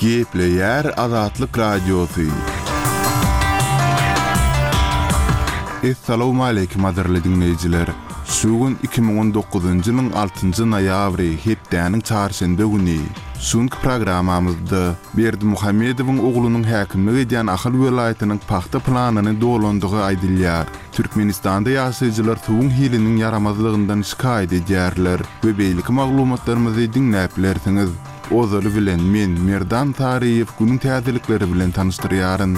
Gepleýär Azatlyk Radiosy. Essalawmaleýkim gadyrly diňleýjiler! Şu gün 2019-njy ýylyň altynjy noýabry, hepdäniň çarşenbe güni. Şu günki programmamyzda Berdimuhamedowyň oglunyň häkimlik edýän Ahal welaýatynyň pagta planyny dolandygy aýdylýar. Türkmenistanda ýaşaýjylar suwuň hiliniň ýaramazlygyndan şikaýat edýärler we beýleki maglumatlarymyzy diňläp bilersiňiz. Ozaly bilen men, Merdan Saryýew günüň täzelikleri bilen tanyşdyrýaryn.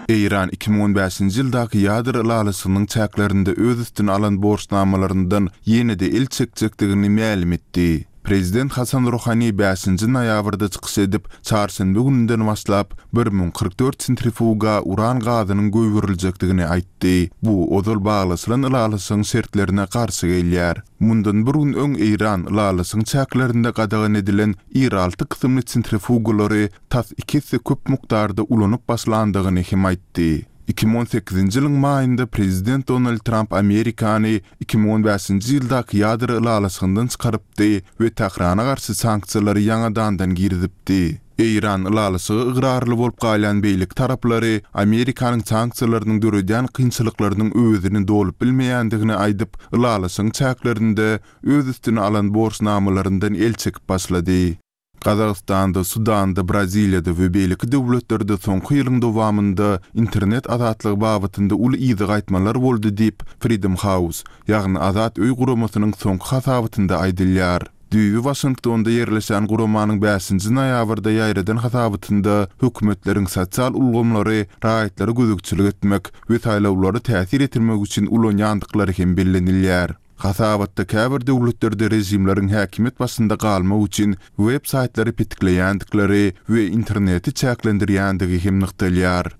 Eýran 2015-nji ýyldaky ýadro ylalaşygynyň çäklerinde öz üstüne alan borçnamalaryndan ýene-de el çekjekdigini mälim etdi. Prezident Hasan Ruhani bäşinji noýabrda çykyş edip, çarşenbe gününden başlap, 1044 sentrifuga uran gazynyň goýberiljekdigini aýtdy. Bu ozal baglaşylan ylalaşygyň şertlerine garşy gelýär. Mundan bir gün öň Eýran ylalaşygyň çäklerinde gadagan edilen Ir-alty kysymly sentrifugalary tas iki esse köp mukdarda ulanyp başlandygyny hem aýtdy. 2018-nji ýylyň maýynda prezident Donald Tramp Amerikany 2015-nji ýyldaky ýadro ylalaşygyndan çykarypdy we Tährana garşy sanksiýalary ýaňadandan girizipdi. Eýran ylalaşyga ygrarly bolup galýan beýleki taraplary Amerikanyň sanksiýalarynyň döredýän kynçylyklarynyň öwezini dolup bilmeýändigini aýdyp, ylalaşygyň çäklerinde öz üstüne alan borçnamalaryndan el çekip başlady. Gazagystanda, Sudanda, Braziliýada we beýleki döwletlerde soňky ýylyň dowamynda internet azatlygy babatynda uly yza gaýtmalar boldy diýip, Freedom House, ýagny Azat öý guramasynyň soňky hasabatynda aýdylýar. Düýbi Waşingtonda ýerleşýän guramanyň bäşinji noýabrda ýaýradan hasabatynda hökümetleriň sosial ulgamlary raýatlara gözegçilik etmek we saýlawlara täsir etirmek üçin ulanýandyklary hem bellenilýär. Hasabatda käbir döwletlerde režimleriň häkimiýet başynda galmak üçin web saýtlary petikleýändikleri we interneti çäklendirýändigi hem nygtalýar.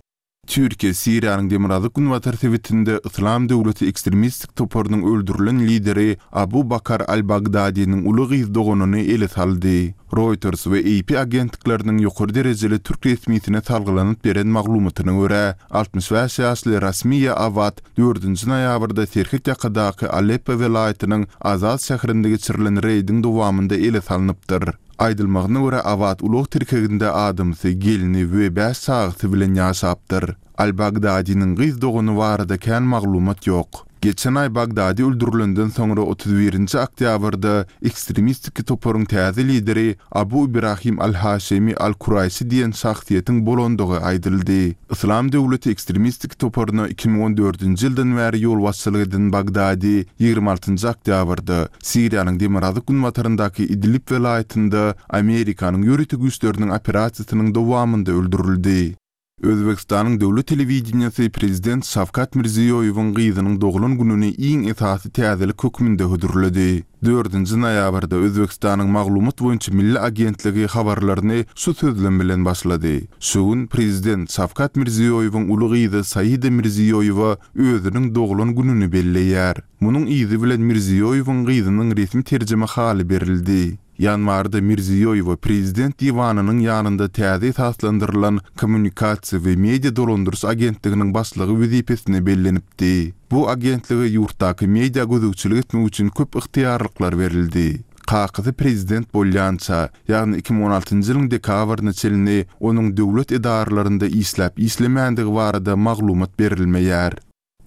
Türkiýe Siriýanyň demirgazyk-günbatar sebitinde Yslam döwleti ekstremistik toparynyň öldürilen lideri Abu Bakar al-Bagdadiniň uly gyz doganyny ele saldy. Reuters we AP agentlikleriniň ýokary derejeli türk resmisine salgylanyp beren maglumatyna görä, 65 ýaşly Rasmiýa Awad dördünji noýabrda serhet ýakadaky Aleppo welaýatynyň Azaz şäherinde geçirilen reýdiň dowamynda ele salnypdyr. Aýdylmagyna görä, Awad ulag tirkeginde adamsy, gelni we bäş çagasy bilen ýaşapdyr. Al-Bagdadiniň gyz dogany barada kän maglumat ýok. Geçen aý Bagdadi öldürilenden soňra 31-nji oktýabrda ekstremistiki toparyň täze lideri Abu Ibrahim al-Haşemi al-Kuraýşi diýen şahsyýetiň bolandygy aýdyldy. Yslam döwleti ekstremistiki toparyna 2014-nji ýyldan bäri ýolbaşçylyk eden Bagdadi 26-njy oktýabrda Siriýanyň demirgazyk-günbataryndaky Idlib welaýatynda Amerikanyň ýörite güýçleriniň operasiýasynyň dowamynda öldürildi. Özbegistanyň döwlet telewideniýesi prezident Şawkat Mirziýoýewiň gyzynyň doglan gününi iň esasy täzelik hökmünde hödürledi. Dördünji noýabrda Özbegistanyň Maglumat boýunça milli agentligi habarlaryny şu sözlem bilen başlady, Şu gün prezident Şawkat Mirziýoýewiň uly gyzy Saida Mirziýoýewa özüniň doglan gününi belleýär. Munuň yzy bilen Mirziýoýewiň gyzynyň resmi terjimehaly berildi. Ýanwarda Mirziýoýewa Prezident diwanynyň ýanynda täze esaslandyrylan Kommunikasiýa we media dolandyryş agentliginiň başlygy wezipesine bellenipdi. Bu agentlige ýurtdaky media gözegçilik etmek üçin köp ygtyýarlyklar berildi. Kakasy prezident bolýança, ýagny 2016-njy ýylyň dekabryna çenli onuň döwlet edaralarynda işläp-işlemändigi barada maglumat berilmeýär.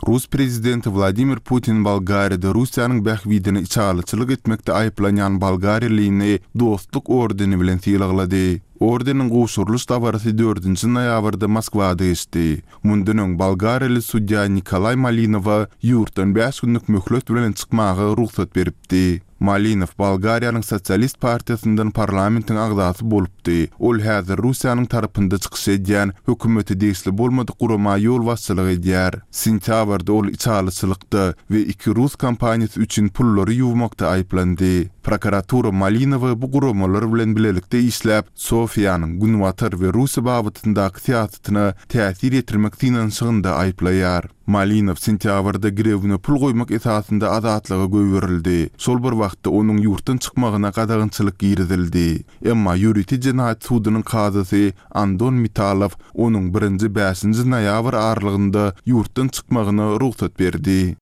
Rus prezidenti Wladimir Putin Bolgariýada Russiýanyň bähbidine içalyçylyk etmekde aýyplanýan bolgariýalyny Dostluk ordeni bilen sylaglady. Ordeniň gowşurylyş dabarasy dördünji noýabrda Moskwada geçdi. Mundan öň bolgariýaly sudýa Nikolaý Malinowa ýurtdan bäş günlük möhlet bilen çykmaga rugsat beripdi. Malinow Bolgariýanyň Sosialist partiýasyndan parlamentiň agzasy bolupdy. Ol häzir Russiýanyň tarapynda çykyş edýän, hökümete degişli bolmadyk gurama ýolbaşçylyk edýär. Sentýabrda ol içalyçylykda we iki rus kompaniýasy üçin pullary ýuwmakda aýyplandy. Prokuratura Malinowy bu guramalar bilen bilelikde işläp, Sofiýanyň Günbatar we Russiýa babatyndaky syýasatyna täsir ýetirmek synanyşygynda aýyplaýar. Malinow sentýabrda girewine pul goýmak esasynda azatlyga goýberildi. Şol bir wagtda onuň ýurtdan çykmagyna gadagançylyk girizildi. Emma ýörite jenaýat sudunyň kazysy Andon Mitalow onuň birinji bäşinji noýabr aralygynda ýurtdan çykmagyna rugsat berdi.